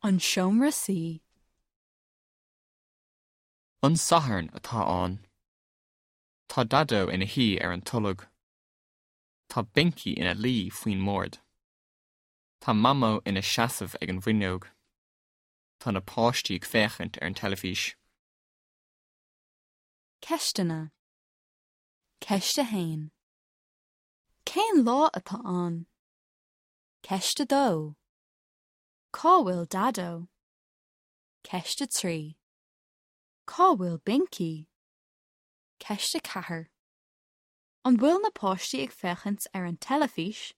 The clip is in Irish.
An seomra suí. An Satharn atá ann. Tá Daideo ina shuí ar an tolg. Tá Bincí ina luí faoin mbord. Tá Mamó ina seasamh ag an bhfuinneog. Tá na páistí ag féachaint ar an teilifís. Ceisteanna. Ceist 1. Cén lá atá ann? Ceist 2. Cá bhfuil Daideo? Ceist 3. Cá bhfuil Bincí? Ceist 4. An bhfuil na páistí ag féachaint ar an teilifís?